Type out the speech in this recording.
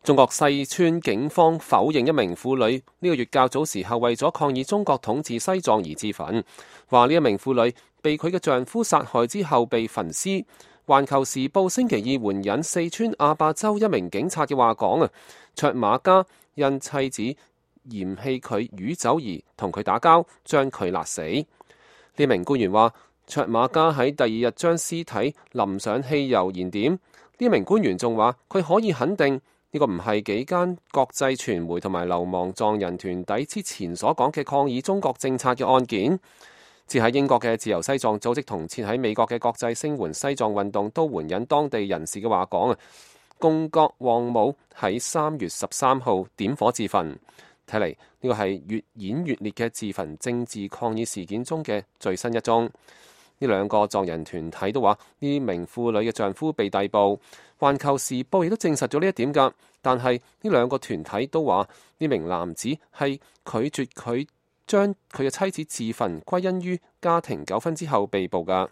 中國四川警方否認一名婦女呢個月較早時候為咗抗議中國統治西藏而自焚，話呢一名婦女被佢嘅丈夫殺害之後被焚屍。環球時報星期二援引四川阿壩州一名警察嘅話講卓瑪嘉因妻子嫌棄佢酗酒而同佢打交，將佢勒死。呢名官員話，卓瑪嘉喺第二日將屍體淋上汽油燃點。呢名官員仲話，佢可以肯定呢個唔係幾間國際傳媒同埋流亡藏人團體之前所講嘅抗議中國政策嘅案件。設喺英國嘅自由西藏組織同設喺美國嘅國際聲援西藏運動都援引當地人士嘅話講共覺旺姆喺3月13號點火自焚。睇嚟呢個係越演越烈嘅自焚政治抗議事件中嘅最新一宗。呢兩個藏人團體都話呢名婦女嘅丈夫被逮捕。環球時報亦都證實咗呢一點㗎，但係呢兩個團體都話呢名男子係拒絕佢將佢嘅妻子自焚歸因於家庭糾紛之後被捕㗎。